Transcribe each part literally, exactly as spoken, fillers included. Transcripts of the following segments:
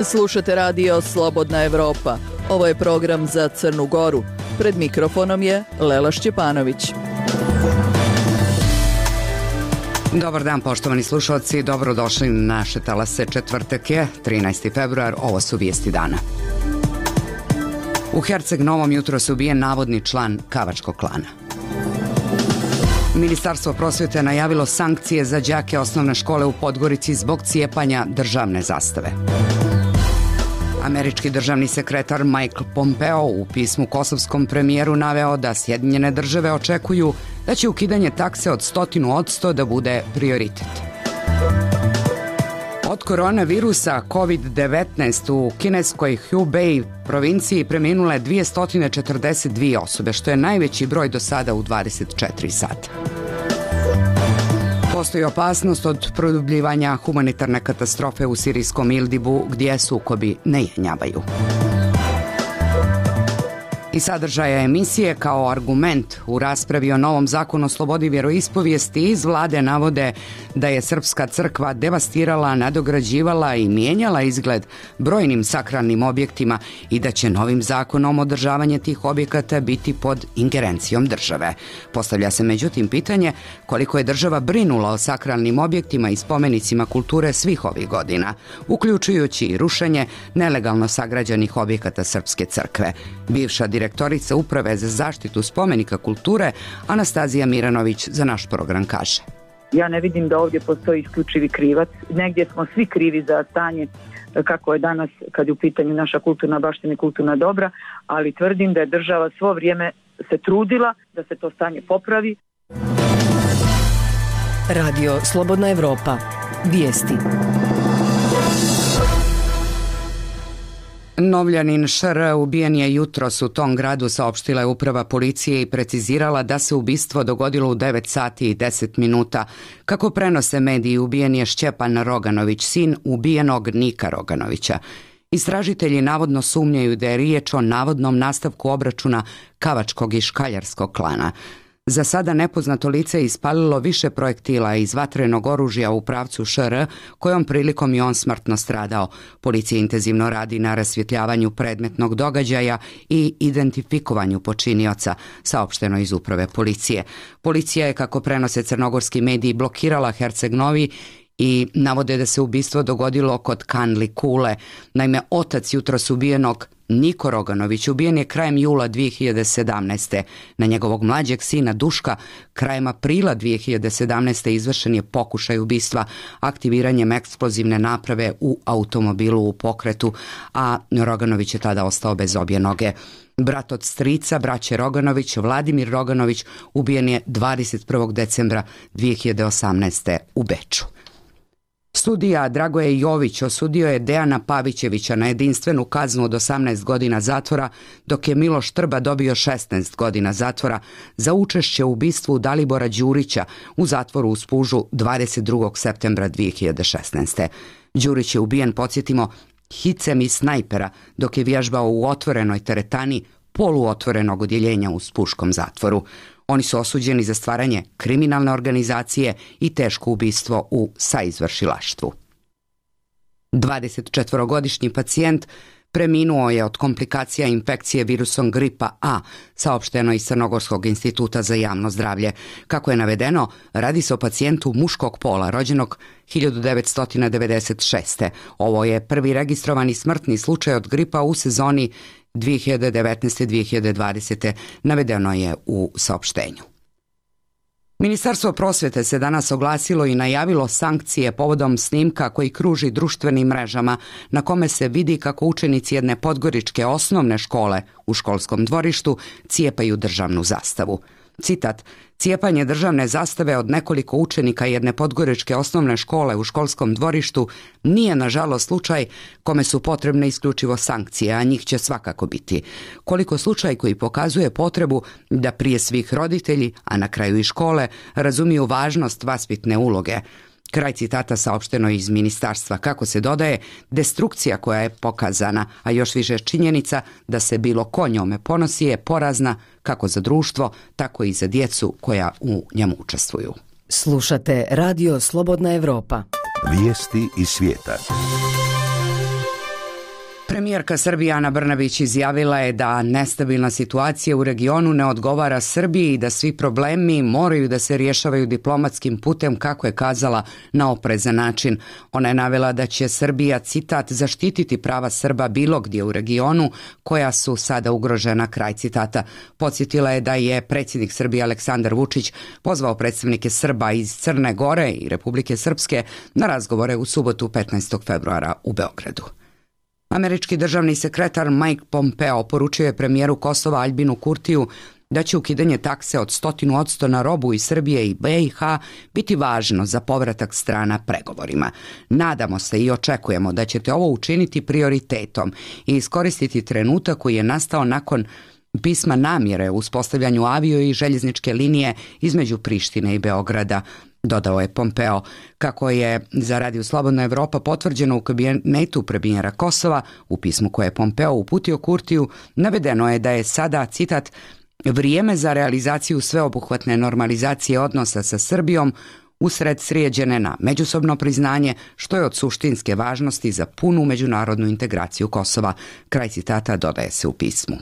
Slušate radio Slobodna Evropa. Ovo je program za Crnu Goru. Pred mikrofonom je Lela Šćepanović. Dobar dan, poštovani slušalci, dobrodošli na naše talase. Četvrtak je, trinaesti februar, ovo su vijesti dana. U Herceg Novom jutros ubijen navodni član Kavačkog klana. Ministarstvo prosvjete najavilo sankcije za đake osnovne škole u Podgorici zbog cijepanja državne zastave. Američki državni sekretar Mike Pompeo u pismu kosovskom premijeru naveo da Sjedinjene države očekuju da će ukidanje takse od stotinu odsto da bude prioritet. Od koronavirusa kovid devetnaest u kineskoj Hubei provinciji preminule dvjesto četrdeset dvije osobe, što je najveći broj do sada u dvadeset četiri sata. Postoji opasnost od produbljivanja humanitarne katastrofe u sirijskom Idlibu gdje sukobi ne jenjavaju. I sadržaja emisije kao argument u raspravi o novom zakonu o slobodi vjeroispovijesti iz vlade navode da je Srpska crkva devastirala, nadograđivala i mijenjala izgled brojnim sakralnim objektima i da će novim zakonom održavanje tih objekata biti pod ingerencijom države. Postavlja se međutim pitanje koliko je država brinula o sakralnim objektima i spomenicima kulture svih ovih godina, uključujući i rušenje nelegalno sagrađenih objekata Srpske crkve. Bivša direktorica Uprave za zaštitu spomenika kulture Anastazija Miranović za naš program kaže: Ja ne vidim da ovdje postoji isključivi krivac. Negdje smo svi krivi za stanje kako je danas kad je u pitanju naša kulturna baština i kulturna dobra, ali tvrdim da je država svo vrijeme se trudila da se to stanje popravi. Radio Slobodna Evropa. Vijesti. Novljanin Š R ubijen je jutros u tom gradu, saopštila je uprava policije i precizirala da se ubistvo dogodilo u devet sati i deset minuta. Kako prenose mediji, ubijen je Šćepan Roganović, sin ubijenog Nika Roganovića. Istražitelji navodno sumnjaju da je riječ o navodnom nastavku obračuna Kavačkog i Škaljarskog klana. Za sada nepoznato lice je ispalilo više projektila iz vatrenog oružja u pravcu Š R, kojom prilikom je on smrtno stradao. Policija intenzivno radi na rasvjetljavanju predmetnog događaja i identifikovanju počinioca, saopšteno iz uprave policije. Policija je, kako prenose crnogorski mediji, blokirala Herceg Novi i navode da se ubistvo dogodilo kod Kanli Kule. Naime, otac jutros ubijenog Niko Roganović ubijen je krajem jula dvije hiljade sedamnaeste. Na njegovog mlađeg sina Duška krajem aprila dvije hiljade sedamnaeste izvršen je pokušaj ubistva aktiviranjem eksplozivne naprave u automobilu u pokretu, a Roganović je tada ostao bez obje noge. Brat od strica braće Roganović, Vladimir Roganović, ubijen je dvadeset prvog decembra dvije hiljade osamnaeste. u Beču. Sudija Dragoje Jović osudio je Dejana Pavićevića na jedinstvenu kaznu od osamnaest godina zatvora, dok je Miloš Trba dobio šesnaest godina zatvora za učešće u ubistvu Dalibora Đurića u zatvoru u Spužu dvadeset drugog septembra dvije hiljade šesnaeste. Đurić je ubijen, podsjetimo, hicem iz snajpera dok je vježbao u otvorenoj teretani poluotvorenog odjeljenja u Spuškom zatvoru. Oni su osuđeni za stvaranje kriminalne organizacije i teško ubistvo u saizvršilaštvu. dvadesetčetvorogodišnji pacijent preminuo je od komplikacija infekcije virusom gripa A, saopšteno iz Crnogorskog instituta za javno zdravlje. Kako je navedeno, radi se o pacijentu muškog pola, rođenog hiljadu devetsto devedeset šeste. Ovo je prvi registrovani smrtni slučaj od gripa u sezoni dvije hiljade devetnaeste dvije hiljade dvadesete. navedeno je u saopštenju. Ministarstvo prosvjete se danas oglasilo i najavilo sankcije povodom snimka koji kruži društvenim mrežama, na kome se vidi kako učenici jedne podgoričke osnovne škole u školskom dvorištu cijepaju državnu zastavu. Citat: cijepanje državne zastave od nekoliko učenika jedne podgoričke osnovne škole u školskom dvorištu nije nažalost slučaj kome su potrebne isključivo sankcije, a njih će svakako biti. Koliko slučaj koji pokazuje potrebu da prije svih roditelji, a na kraju i škole, razumiju važnost vaspitne uloge. Kraj citata saopšteno iz ministarstva. Kako se dodaje, destrukcija koja je pokazana, a još više činjenica da se bilo ko njome ponosi je porazna kako za društvo, tako i za djecu koja u njemu učestvuju. Slušate Radio Slobodna Evropa. Vijesti iz svijeta. Premijerka Srbije Ana Brnabić izjavila je da nestabilna situacija u regionu ne odgovara Srbiji i da svi problemi moraju da se rješavaju diplomatskim putem, kako je kazala, na oprezan način. Ona je navela da će Srbija, citat, zaštititi prava Srba bilo gdje u regionu koja su sada ugrožena, kraj citata. Podsjetila je da je predsjednik Srbije Aleksandar Vučić pozvao predstavnike Srba iz Crne Gore i Republike Srpske na razgovore u subotu petnaestog februara u Beogradu. Američki državni sekretar Mike Pompeo poručio je premijeru Kosova Aljbinu Kurtiju da će ukidanje takse od stotinu odsto na robu iz Srbije i B i H biti važno za povratak strana pregovorima. Nadamo se i očekujemo da ćete ovo učiniti prioritetom i iskoristiti trenutak koji je nastao nakon pisma namjere u uspostavljanju avio i željezničke linije između Prištine i Beograda, dodao je Pompeo. Kako je za Radio Slobodna Evropa potvrđeno u kabinetu premijera Kosova, u pismu koje je Pompeo uputio Kurtiju, navedeno je da je sada, citat, vrijeme za realizaciju sveobuhvatne normalizacije odnosa sa Srbijom usred srijeđene na međusobno priznanje, što je od suštinske važnosti za punu međunarodnu integraciju Kosova. Kraj citata dodaje se u pismu.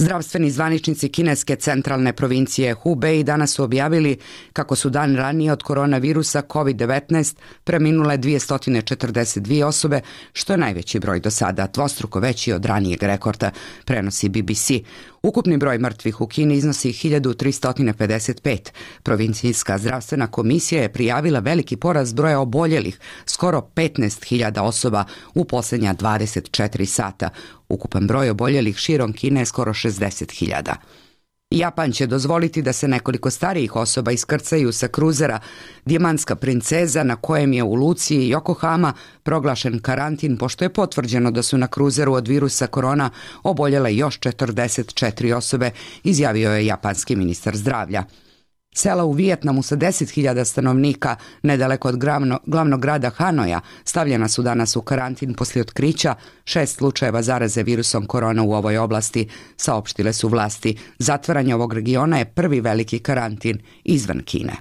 Zdravstveni zvaničnici kineske centralne provincije Hubei danas su objavili kako su dan ranije od koronavirusa kovid devetnaest preminule dvjesto četrdeset dvije osobe, što je najveći broj do sada, dvostruko veći od ranijeg rekorda, prenosi B B C. Ukupni broj mrtvih u Kini iznosi hiljadu tristo pedeset pet. Provincijska zdravstvena komisija je prijavila veliki porast broja oboljelih, skoro petnaest hiljada osoba u posljednja dvadeset četiri sata. Ukupan broj oboljelih širom Kine je skoro šezdeset hiljada. Japan će dozvoliti da se nekoliko starijih osoba iskrcaju sa kruzera Dijamantska princeza, na kojem je u luci Yokohama proglašen karantin, pošto je potvrđeno da su na kruzeru od virusa korona oboljele još četrdeset četiri osobe, izjavio je japanski ministar zdravlja. Sela u Vijetnamu sa deset hiljada stanovnika, nedaleko od glavno, glavnog grada Hanoja, stavljena su danas u karantin poslije otkrića šest slučajeva zaraze virusom korona u ovoj oblasti, saopštile su vlasti. Zatvaranje ovog regiona je prvi veliki karantin izvan Kine.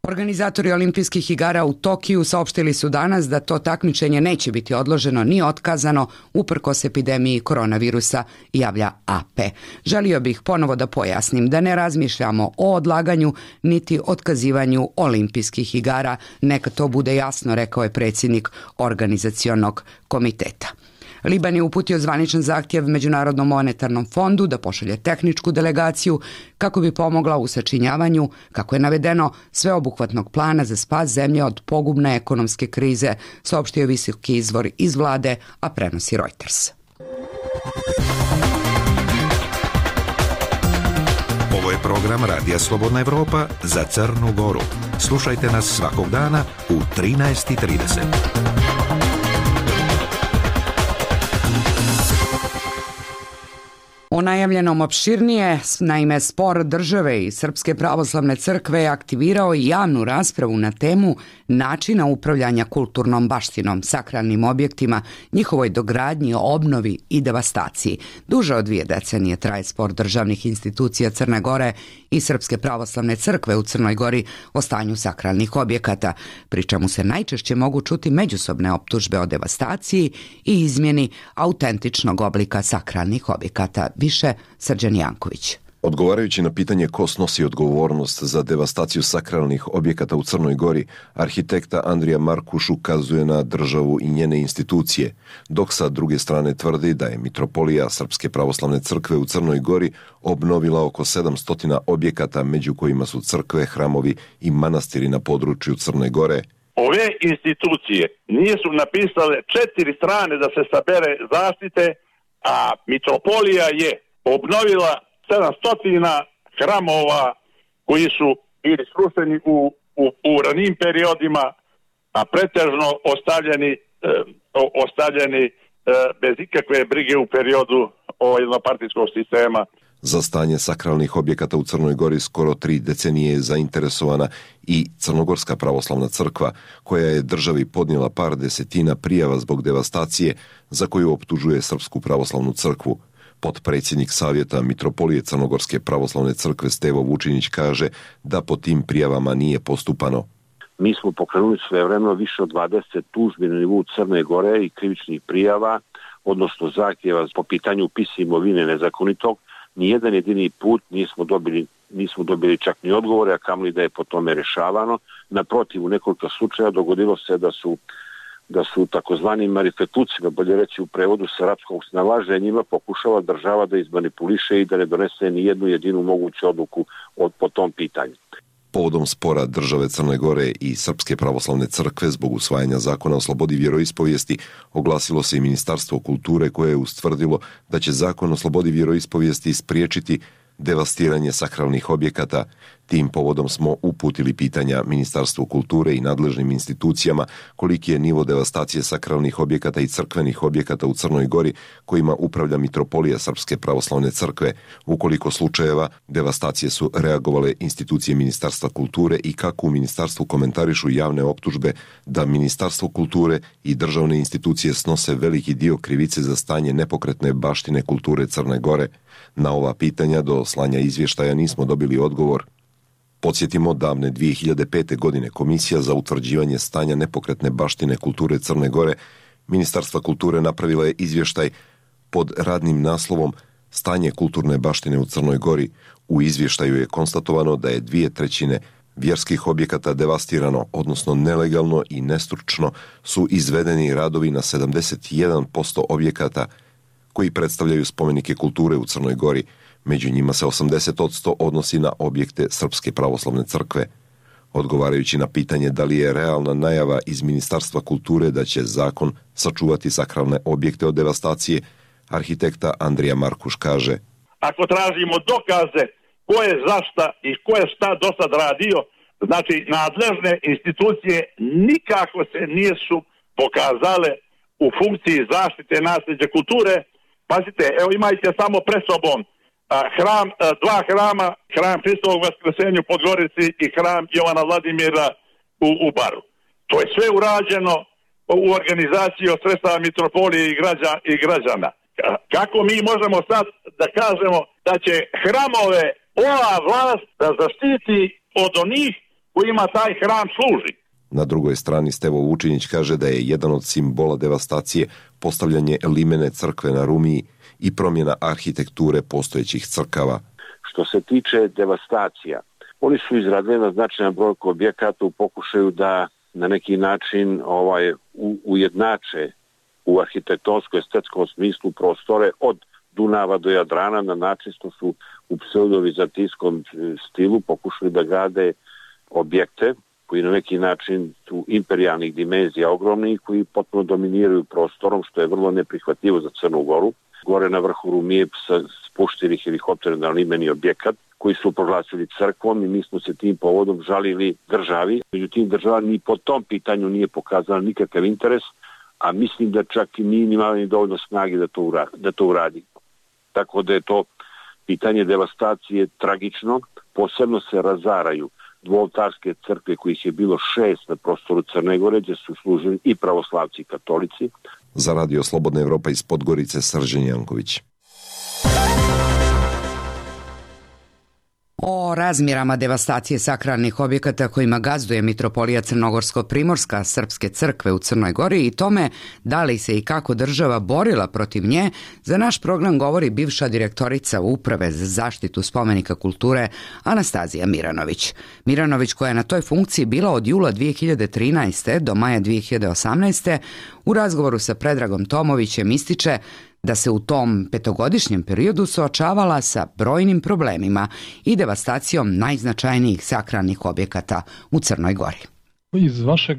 Organizatori olimpijskih igara u Tokiju saopštili su danas da to takmičenje neće biti odloženo ni otkazano uprkos epidemiji koronavirusa, javlja A P. Želio bih ponovo da pojasnim da ne razmišljamo o odlaganju niti otkazivanju olimpijskih igara, neka to bude jasno, rekao je predsjednik organizacionog komiteta. Liban je uputio zvaničan zahtjev Međunarodnom monetarnom fondu da pošalje tehničku delegaciju kako bi pomogla u sačinjavanju, kako je navedeno, sveobuhvatnog plana za spas zemlje od pogubne ekonomske krize, saopštio visoki izvor iz vlade, a prenosi Reuters. Ovo je program Radija Slobodna Evropa za Crnu Goru. Slušajte nas svakog dana u trinaest i trideset. O najavljenom opširnije, naime spor države i Srpske pravoslavne crkve je aktivirao i javnu raspravu na temu načina upravljanja kulturnom baštinom, sakralnim objektima, njihovoj dogradnji, obnovi i devastaciji. Duže od dvije decenije traje spor državnih institucija Crne Gore i Srpske pravoslavne crkve u Crnoj Gori o stanju sakralnih objekata, pri čemu se najčešće mogu čuti međusobne optužbe o devastaciji i izmjeni autentičnog oblika sakralnih objekata. Više Srđan Janković. Odgovarajući na pitanje ko snosi odgovornost za devastaciju sakralnih objekata u Crnoj Gori, arhitekta Andrija Markuš ukazuje na državu i njene institucije, dok sa druge strane tvrdi da je Mitropolija Srpske pravoslavne crkve u Crnoj Gori obnovila oko sedamsto objekata, među kojima su crkve, hramovi i manastiri na području Crne Gore. Ove institucije nisu napisale četiri strane da se sabere zaštite, a Mitropolija je obnovila sedamsto hramova koji su bili srušeni u, u, u ranijim periodima, a pretežno ostavljeni, e, ostavljeni e, bez ikakve brige u periodu jednopartijskog sistema. Za stanje sakralnih objekata u Crnoj Gori skoro tri decenije je zainteresovana i Crnogorska pravoslavna crkva, koja je državi podnijela par desetina prijava zbog devastacije za koju optužuje Srpsku pravoslavnu crkvu. Potpredsjednik Savjeta Mitropolije Crnogorske pravoslavne crkve Stevo Vučinić kaže da po tim prijavama nije postupano. Mi smo pokrenuli svojevremeno više od dvadeset tužbi na nivou Crne Gore i krivičnih prijava, odnosno zahtjeva po pitanju upisa imovine nezakonitog. Nijedan jedini put nismo dobili, nismo dobili čak ni odgovore, a kamoli da je po tome rješavano. Naprotiv, u nekoliko slučaja dogodilo se da su da su takozvani marifetlucima, bolje reći u prevodu sa arapskog snalaženjima, pokušava država da izmanipuliše i da ne donese ni jednu jedinu moguću odluku od, po tom pitanju. Povodom spora države Crne Gore i Srpske pravoslavne crkve zbog usvajanja zakona o slobodi vjeroispovijesti oglasilo se i Ministarstvo kulture koje je ustvrdilo da će zakon o slobodi vjeroispovijesti spriječiti devastiranje sakralnih objekata. Tim povodom smo uputili pitanja Ministarstvu kulture i nadležnim institucijama koliki je nivo devastacije sakralnih objekata i crkvenih objekata u Crnoj Gori kojima upravlja Mitropolija Srpske pravoslavne crkve, u koliko slučajeva devastacije su reagovale institucije Ministarstva kulture i kako u ministarstvu komentarišu javne optužbe da Ministarstvo kulture i državne institucije snose veliki dio krivice za stanje nepokretne baštine kulture Crne Gore. Na ova pitanja do slanja izvještaja nismo dobili odgovor. Podsjetimo, davne dvije hiljade pete. godine Komisija za utvrđivanje stanja nepokretne baštine kulture Crne Gore Ministarstva kulture napravila je izvještaj pod radnim naslovom Stanje kulturne baštine u Crnoj Gori. U izvještaju je konstatovano da je dvije trećine vjerskih objekata devastirano, odnosno nelegalno i nestručno su izvedeni radovi na sedamdeset jedan posto objekata koji predstavljaju spomenike kulture u Crnoj Gori. Među njima se osamdeset posto odnosi na objekte Srpske pravoslavne crkve. Odgovarajući na pitanje da li je realna najava iz Ministarstva kulture da će zakon sačuvati sakralne objekte od devastacije, arhitekta Andrija Markuš kaže: Ako tražimo dokaze ko je zašta i ko je šta do sad radio, znači nadležne institucije nikako se nisu pokazale u funkciji zaštite nasljeđa kulture. Pazite, evo imajte samo pred sobom hram, dva hrama, hram Hristovog Vaskrsenja u Podgorici i hram Jovana Vladimira u, u Baru. To je sve urađeno u organizaciji od sredstava Mitropolije i, građa, i građana. Kako mi možemo sad da kažemo da će hramove ova vlast da zaštiti od onih kojima taj hram služi? Na drugoj strani Stevo Vučinić kaže da je jedan od simbola devastacije postavljanje limene crkve na Rumiji i promjena arhitekture postojećih crkava. Što se tiče devastacija, oni su izradili na značajan broj objekata u pokušaju da na neki način ovaj u, ujednače u arhitektonsko-estetskom smislu prostore od Dunava do Jadrana na način što su u pseudovizantijskom stilu pokušali da grade objekte koji na neki način su imperijalnih dimenzija ogromni i koji potpuno dominiraju prostorom, što je vrlo neprihvatljivo za Crnu Goru. Gore na vrhu Rumije spuštili helikoptere na limeni objekat koji su proglasili crkvom i mi smo se tim povodom žalili državi. Međutim, država ni po tom pitanju nije pokazala nikakav interes, a mislim da čak i nije imala ni dovoljno snage da to uradi, da to uradi. Tako da je to pitanje devastacije tragično. Posebno se razaraju dvooltarske crkve kojih je bilo šest na prostoru Crne Gore, gdje su služili i pravoslavci i katolici. Za Radio Slobodna Evropa iz Podgorice, Srđan Janković. O razmjerama devastacije sakralnih objekata kojima gazduje Mitropolija Crnogorsko-Primorska Srpske crkve u Crnoj Gori i tome da li se i kako država borila protiv nje, za naš program govori bivša direktorica Uprave za zaštitu spomenika kulture Anastazija Miranović. Miranović, koja je na toj funkciji bila od jula dvije hiljade trinaeste. do maja dvije hiljade osamnaeste. u razgovoru sa Predragom Tomovićem ističe da se u tom petogodišnjem periodu suočavala sa brojnim problemima i devastacijom najznačajnijih sakralnih objekata u Crnoj Gori. Iz vašeg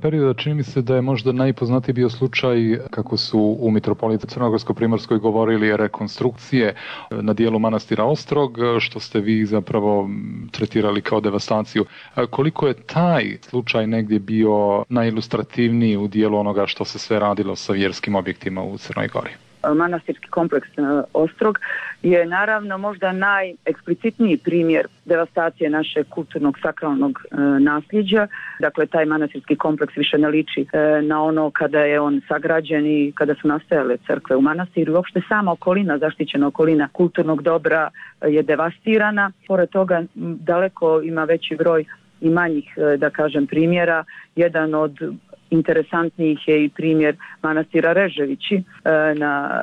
perioda čini mi se da je možda najpoznatiji bio slučaj kako su u Mitropoliji Crnogorsko-Primorskoj govorili rekonstrukcije na dijelu manastira Ostrog, što ste vi zapravo tretirali kao devastaciju. Koliko je taj slučaj negdje bio najilustrativniji u dijelu onoga što se sve radilo sa vjerskim objektima u Crnoj Gori? manastirski kompleks Ostrog je naravno možda najeksplicitniji primjer devastacije našeg kulturnog sakralnog e, nasljeđa. Dakle, taj manastirski kompleks više ne liči e, na ono kada je on sagrađen i kada su nastajale crkve u manastiru. Uopšte sama okolina, zaštićena okolina kulturnog dobra je devastirana. Pored toga daleko ima veći broj i manjih, da kažem, primjera. Jedan od interesantnijih je i primjer manastira Reževići na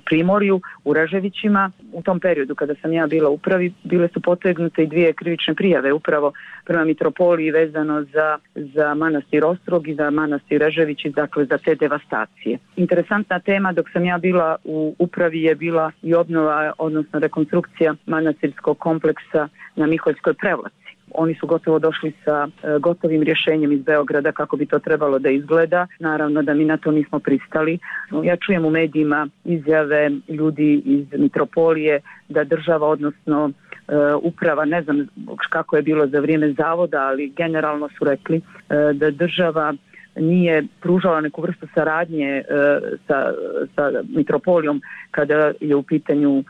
Primorju u Reževićima. U tom periodu kada sam ja bila u upravi, bile su potegnute i dvije krivične prijave upravo prema mitropoliji vezano za, za manastir Ostrog i za manastir Reževići, dakle za te devastacije. Interesantna tema dok sam ja bila u upravi je bila i obnova, odnosno rekonstrukcija manastirskog kompleksa na Miholjskoj Prevlaci. Oni su gotovo došli sa e, gotovim rješenjem iz Beograda kako bi to trebalo da izgleda. Naravno da mi na to nismo pristali. Ja čujem u medijima izjave ljudi iz mitropolije da država, odnosno e, uprava, ne znam kako je bilo za vrijeme zavoda, ali generalno su rekli e, da država nije pružala neku vrstu saradnje e, sa, sa mitropolijom kada je u pitanju e,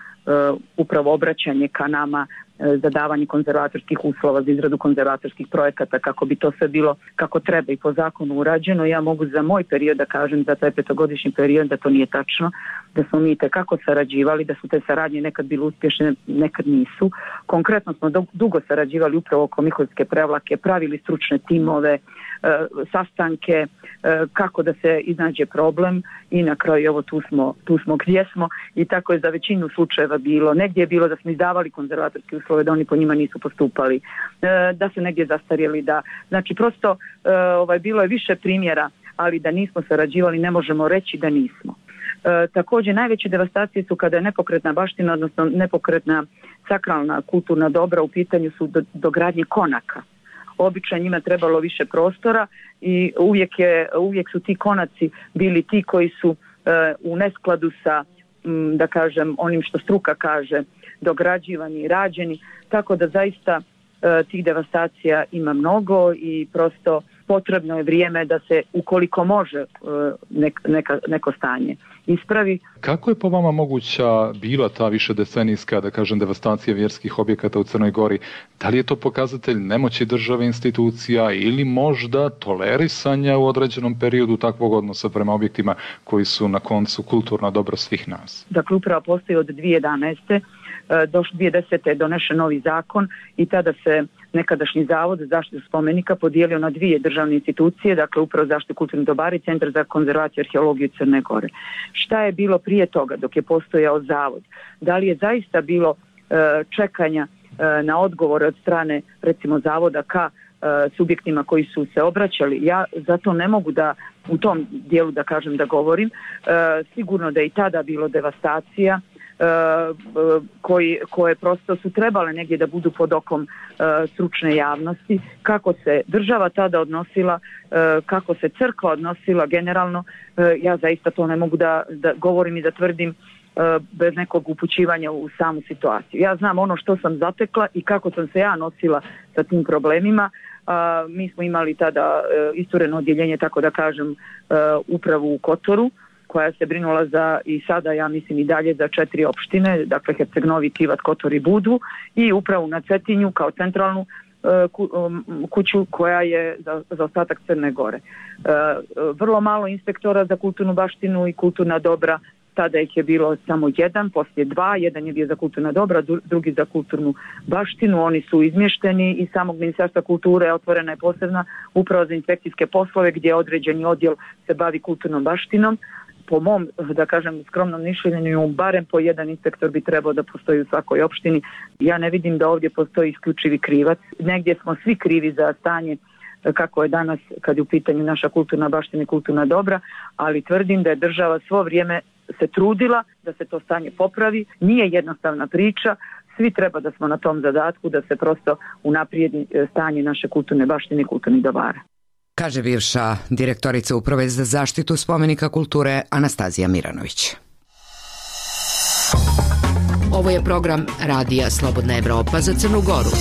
upravo obraćanje ka nama za davanje konzervatorskih uslova, za izradu konzervatorskih projekata, kako bi to sve bilo kako treba i po zakonu urađeno. Ja mogu za moj period da kažem, za taj petogodišnji period, da to nije tačno, da smo mi tekako sarađivali, da su te saradnje nekad bile uspješne, nekad nisu. Konkretno smo dugo sarađivali upravo oko Miholjske Prevlake, pravili stručne timove, sastanke, kako da se iznađe problem i na kraju evo tu smo, tu smo gdje smo i tako je za većinu slučajeva bilo. Negdje je bilo da smo izdavali konzervatorske uslove, da oni po njima nisu postupali, da su negdje zastarjeli, da, znači prosto ovaj, bilo je više primjera, ali da nismo sarađivali ne možemo reći da nismo. E, također najveće devastacije su kada je nepokretna baština, odnosno nepokretna sakralna kulturna dobra u pitanju su do, dogradnje konaka. Obično njima trebalo više prostora i uvijek, je, uvijek su ti konaci bili ti koji su e, u neskladu sa, m, da kažem, onim što struka kaže, dograđivani i rađeni, tako da zaista e, tih devastacija ima mnogo i prosto potrebno je vrijeme da se, ukoliko može, e, nek, neka, neko stanje ispravi. Kako je po vama moguća bila ta višedecenijska, da kažem, devastacija vjerskih objekata u Crnoj Gori? Da li je to pokazatelj nemoći države, institucija ili možda tolerisanja u određenom periodu takvog odnosa prema objektima koji su na koncu kulturno dobro svih nas? Dakle, upravo postoji od dvije tisuće jedanaeste. Do dvije tisuće desete. je donešen novi zakon i tada se nekadašnji zavod za zaštitu spomenika podijelio na dvije državne institucije, dakle upravo zaštitu kulturnih dobara i Centar za konzervaciju i arheologiju Crne Gore. Šta je bilo prije toga dok je postojao zavod? Da li je zaista bilo e, čekanja e, na odgovore od strane recimo zavoda ka e, subjektima koji su se obraćali? Ja zato ne mogu da u tom dijelu da kažem da govorim. E, sigurno da je i tada bilo devastacija Koji, koje prosto su trebale negdje da budu pod okom uh, stručne javnosti, kako se država tada odnosila, uh, kako se crkva odnosila generalno, uh, ja zaista to ne mogu da, da govorim i da tvrdim uh, bez nekog upućivanja u samu situaciju. Ja znam ono što sam zatekla i kako sam se ja nosila sa tim problemima. Uh, mi smo imali tada uh, istureno odjeljenje, tako da kažem, uh, upravu u Kotoru, koja se brinula za, i sada ja mislim i dalje, za četiri opštine, dakle Herceg Novi, Tivat, Kotor i Budvu, i upravu na Cetinju kao centralnu uh, ku, um, kuću koja je za, za ostatak Crne Gore. Uh, vrlo malo inspektora za kulturnu baštinu i kulturna dobra, tada ih je bilo samo jedan, poslije dva, jedan je bio za kulturna dobra, drugi za kulturnu baštinu, oni su izmješteni iz samog Ministarstva kulture, otvorena je posebna uprava za inspekcijske poslove gdje određeni odjel se bavi kulturnom baštinom. Po mom, da kažem, skromnom mišljenju, barem po jedan inspektor bi trebao da postoji u svakoj opštini. Ja ne vidim da ovdje postoji isključivi krivac. Negdje smo svi krivi za stanje kako je danas kad je u pitanju naša kulturna baština i kulturna dobra, ali tvrdim da je država svo vrijeme se trudila da se to stanje popravi. Nije jednostavna priča, svi treba da smo na tom zadatku da se prosto unaprijedi stanje naše kulturne baštine i kulturnih dobara. Kaže bivša direktorica Uprave za zaštitu spomenika kulture Anastazija Miranović. Ovo je program Radija Slobodna Evropa za Crnu Goru.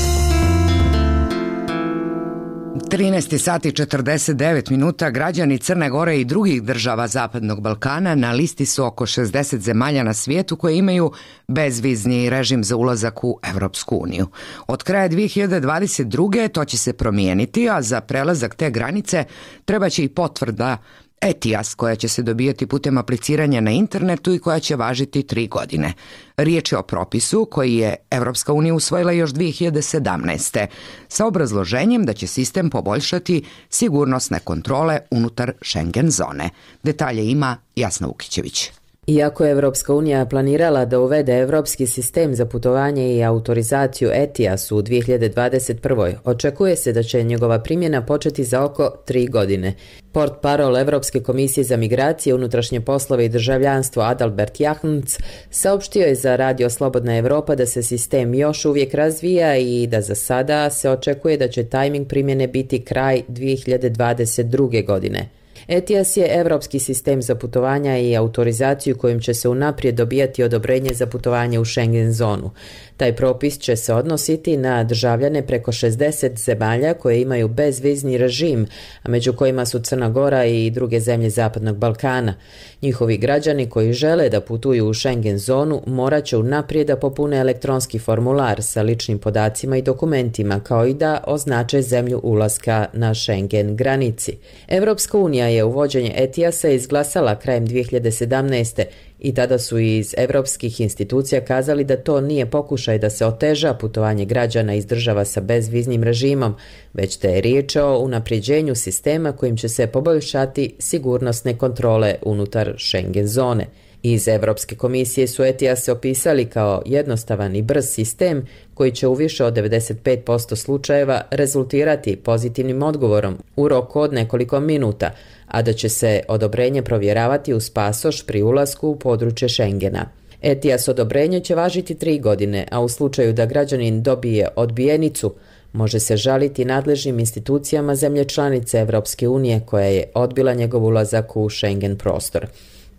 trinaest sati i četrdeset devet minuta. Građani Crne Gore i drugih država Zapadnog Balkana na listi su oko šezdeset zemalja na svijetu koje imaju bezvizni režim za ulazak u Evropsku uniju. Od kraja dvije hiljade dvadeset druge. to će se promijeniti, a za prelazak te granice treba će i potvrda E T I A S koja će se dobijati putem apliciranja na internetu i koja će važiti tri godine. Riječ je o propisu koji je Evropska unija usvojila još dvije hiljade sedamnaeste. sa obrazloženjem da će sistem poboljšati sigurnosne kontrole unutar Schengen zone. Detalje ima Jasna Vukićević. Iako je Evropska unija planirala da uvede evropski sistem za putovanje i autorizaciju E T I A S u dvije hiljade dvadeset prve. očekuje se da će njegova primjena početi za oko tri godine. Portparol Evropske komisije za migracije, unutrašnje poslove i državljanstvo Adalbert Jahns saopštio je za Radio Slobodna Evropa da se sistem još uvijek razvija i da za sada se očekuje da će tajming primjene biti kraj dvije hiljade dvadeset druge. godine. E T I A S je evropski sistem za putovanja i autorizaciju kojim će se unaprijed dobijati odobrenje za putovanje u Schengen zonu. Taj propis će se odnositi na državljane preko šezdeset zemalja koje imaju bezvizni režim, a među kojima su Crna Gora i druge zemlje Zapadnog Balkana. Njihovi građani koji žele da putuju u Schengen zonu morat će unaprijed da popune elektronski formular sa ličnim podacima i dokumentima, kao i da označe zemlju ulaska na Schengen granici. Evropska unija je uvođenje E T I A S-a izglasala krajem dvije hiljade sedamnaeste. i tada su iz evropskih institucija kazali da to nije pokušaj da se oteža putovanje građana iz država sa bezviznim režimom, već da je riječ o unapređenju sistema kojim će se poboljšati sigurnosne kontrole unutar Schengen zone. Iz Evropske komisije su E T I A S opisali kao jednostavan i brz sistem koji će u više od devedeset pet posto slučajeva rezultirati pozitivnim odgovorom u roku od nekoliko minuta, a da će se odobrenje provjeravati uz pasoš pri ulasku u područje Schengena. E T I A S odobrenje će važiti tri godine, a u slučaju da građanin dobije odbijenicu, može se žaliti nadležnim institucijama zemlje članice Evropske unije koja je odbila njegov ulazak u Schengen prostor.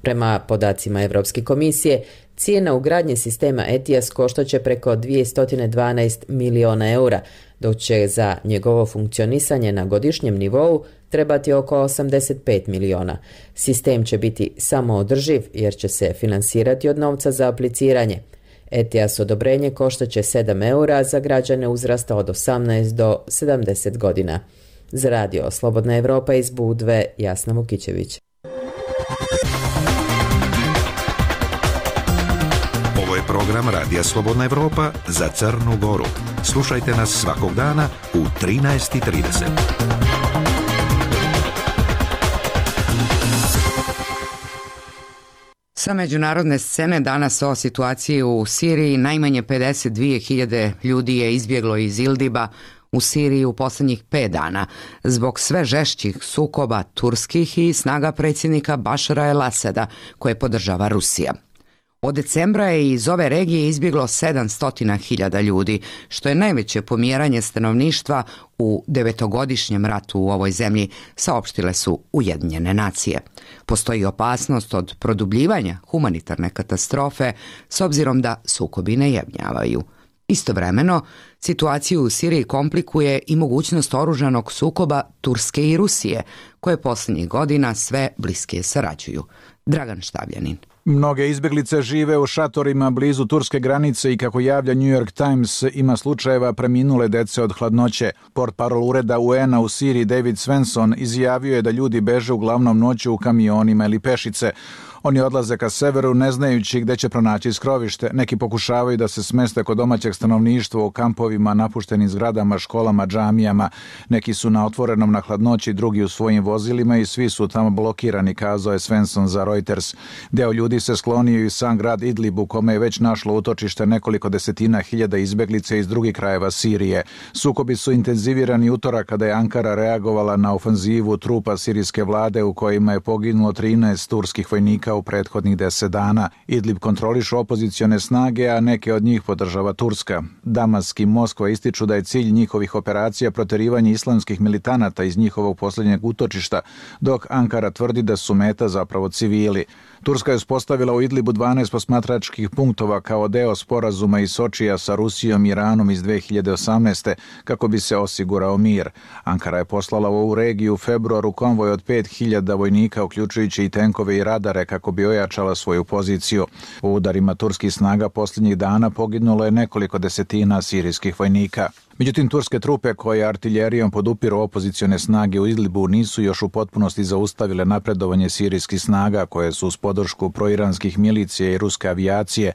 Prema podacima Evropske komisije, cijena ugradnje sistema E T I A S koštaće preko dvjesto dvanaest miliona eura, dok će za njegovo funkcionisanje na godišnjem nivou trebati oko osamdeset pet miliona. Sistem će biti samoodrživ jer će se finansirati od novca za apliciranje. E T I A S odobrenje koštaće sedam eura za građane uzrasta od osamnaest do sedamdeset godina. Za Radio Slobodna Evropa iz Budve, Jasna Vukićević. Ovo je program Radija Slobodna Evropa za Crnu Goru. Slušajte nas svakog dana u trinaest i trideset. Sa međunarodne scene danas o situaciji u Siriji. Najmanje pedeset dvije hiljade ljudi je izbjeglo iz Ildiba u Siriji u posljednjih pet dana zbog sve žešćih sukoba turskih i snaga predsjednika Bašara el-Asada koje podržava Rusija. Od decembra je iz ove regije izbjeglo sedamsto hiljada ljudi, što je najveće pomjeranje stanovništva u devetogodišnjem ratu u ovoj zemlji, saopštile su Ujedinjene nacije. Postoji opasnost od produbljivanja humanitarne katastrofe s obzirom da sukobi ne jebnjavaju. Istovremeno, situaciju u Siriji komplikuje i mogućnost oružanog sukoba Turske i Rusije, koje posljednjih godina sve bliskije sarađuju. Dragan Štavljanin. Mnoge izbjeglice žive u šatorima blizu turske granice i kako javlja New York Times ima slučajeva preminule dece od hladnoće. Portparol ureda U N-a u Siriji David Svensson izjavio je da ljudi beže uglavnom noću u kamionima ili pešice. Oni odlaze ka severu ne znajući gdje će pronaći skrovište. Neki pokušavaju da se smeste kod domaćeg stanovništva u kampovima, napuštenim zgradama, školama, džamijama. Neki su na otvorenom na hladnoći, drugi u svojim vozilima i svi su tamo blokirani, kazao je Svensson za Reuters. Deo ljudi se sklonio i sam grad Idlib u kome je već našlo utočište nekoliko desetina hiljada izbjeglice iz drugih krajeva Sirije. Sukobi su intenzivirani utorak kada je Ankara reagovala na ofanzivu trupa sirijske vlade u kojima je poginulo trinaest turskih vojnika u prethodnih deset dana. Idlib kontrolišu opozicione snage, a neke od njih podržava Turska. Damask i Moskva ističu da je cilj njihovih operacija proterivanje islamskih militanata iz njihovog posljednjeg utočišta, dok Ankara tvrdi da su meta zapravo civili. civili. Turska je uspostavila u Idlibu dvanaest posmatračkih punktova kao deo sporazuma iz Sočija sa Rusijom i Iranom iz dve hiljade osamnaeste. kako bi se osigurao mir. Ankara je poslala u ovu regiju u februaru konvoj od pet hiljada vojnika, uključujući i tenkove i radare, kako bi ojačala svoju poziciju. U udarima turskih snaga posljednjih dana poginulo je nekoliko desetina sirijskih vojnika. Međutim, turske trupe koje artiljerijom podupiru opozicione snage u Idlibu nisu još u potpunosti zaustavile napredovanje sirijskih snaga koje su uz podršku proiranskih milicija i ruske avijacije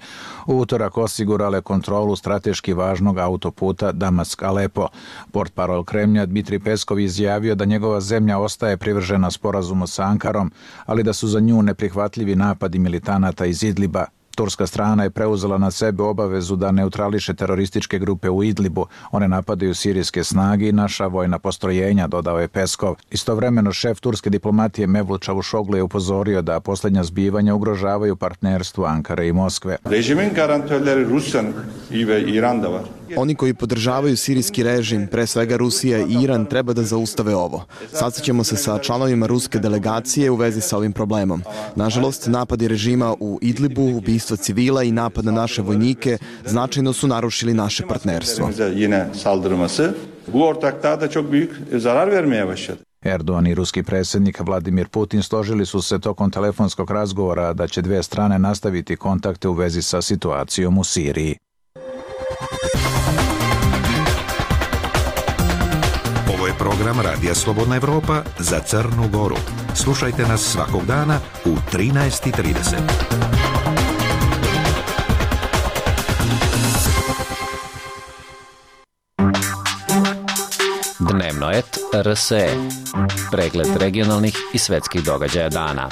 u utorak osigurale kontrolu strateški važnog autoputa Damask-Alepo. Portparol Kremlja Dmitrij Peskov izjavio da njegova zemlja ostaje privržena sporazumu sa Ankarom, ali da su za nju neprihvatljivi napadi militanata iz Idliba. Turska strana je preuzela na sebe obavezu da neutrališe terorističke grupe u Idlibu. One napadaju sirijske snage i naša vojna postrojenja, dodao je Peskov. Istovremeno šef turske diplomatije Mevlut Čavuşoglu je upozorio da posljednja zbivanja ugrožavaju partnerstvo Ankare i Moskve. Režimin garantörleri Rusyan ve İran da var. Oni koji podržavaju sirijski režim, pre svega Rusija i Iran, treba da zaustave ovo. Sastaćemo se sa članovima ruske delegacije u vezi sa ovim problemom. Nažalost, napadi režima u Idlibu, ubistva civila i napad na naše vojnike značajno su narušili naše partnerstvo. Bu ortaklığa çok büyük zarar vermeye başladı. Erdogan i ruski predsjednik Vladimir Putin složili su se tokom telefonskog razgovora da će dve strane nastaviti kontakte u vezi sa situacijom u Siriji. Ovo je program Radija Slobodna Evropa za Crnu Goru. Slušajte nas svakog dana u trinaest i trideset. Dnevno et R S E. Pregled regionalnih i svetskih događaja dana.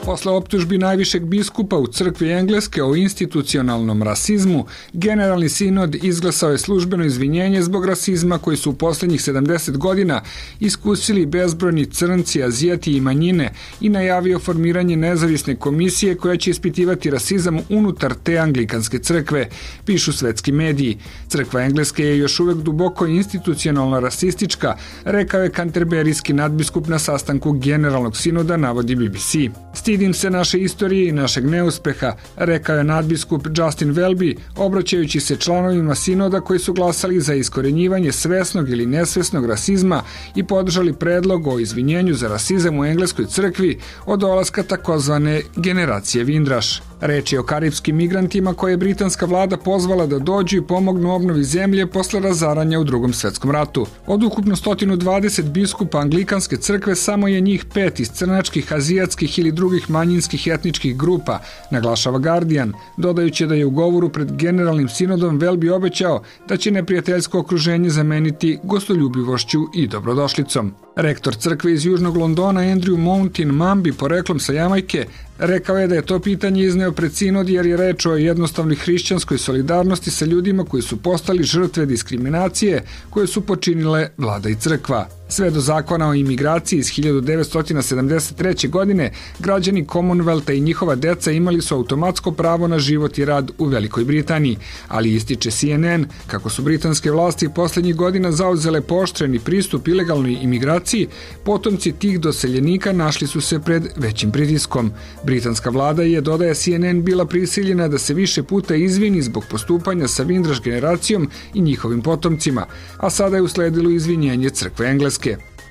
Posle optužbi najvišeg biskupa u crkvi Engleske o institucionalnom rasizmu, Generalni sinod izglasao je službeno izvinjenje zbog rasizma koji su u posljednjih sedamdeset godina iskusili bezbrojni crnci, azijati i manjine i najavio formiranje nezavisne komisije koja će ispitivati rasizam unutar te anglikanske crkve, pišu svetski mediji. Crkva Engleske je još uvek duboko institucionalno rasistička, rekao je kanterberijski nadbiskup na sastanku Generalnog sinoda, navodi B B C. Stidim se naše istorije i našeg neuspeha, rekao je nadbiskup Justin Welby, obraćajući se članovima sinoda koji su glasali za iskorenjivanje svesnog ili nesvesnog rasizma i podržali predlog o izvinjenju za rasizam u engleskoj crkvi od dolaska takozvane generacije Vindraš. Reč je o karipskim migrantima koje je britanska vlada pozvala da dođu i pomognu obnovi zemlje posle razaranja u Drugom svetskom ratu. Od ukupno sto dvadeset biskupa anglikanske crkve samo je njih pet iz crnačkih, azijatskih ili drugih manjinskih etničkih grupa, naglašava Guardian, dodajući da je u govoru pred Generalnim sinodom Welby obećao da će neprijateljsko okruženje zameniti gostoljubivošću i dobrodošlicom. Rektor crkve iz Južnog Londona Andrew Mountain Mambi, poreklom sa Jamajke, rekao je da je to pitanje izneo pred sinod jer je reč o jednostavnoj hrišćanskoj solidarnosti sa ljudima koji su postali žrtve diskriminacije koje su počinile vlada i crkva. Sve do zakona o imigraciji iz hiljadu devetsto sedamdeset treće. godine, građani Commonwealtha i njihova deca imali su automatsko pravo na život i rad u Velikoj Britaniji, ali ističe C N N kako su britanske vlasti posljednjih godina zauzele pooštreni pristup ilegalnoj imigraciji, potomci tih doseljenika našli su se pred većim pritiskom. Britanska vlada je, dodaje C N N, bila prisiljena da se više puta izvini zbog postupanja sa Vindraš generacijom i njihovim potomcima, a sada je usledilo izvinjenje crkve Engleske.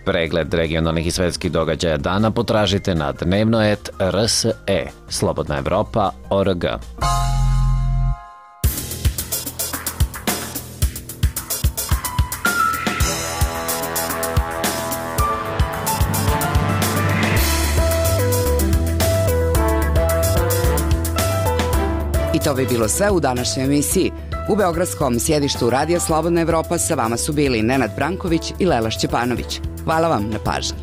Pregled regionalnih i svetskih događaja dana potražite na dnevno et R S E, Slobodna Evropa, O R G. I to bi bilo sve u današnjoj emisiji. U beogradskom sjedištu Radija Slobodna Evropa sa vama su bili Nenad Branković i Lela Šćepanović. Hvala vam na pažnji.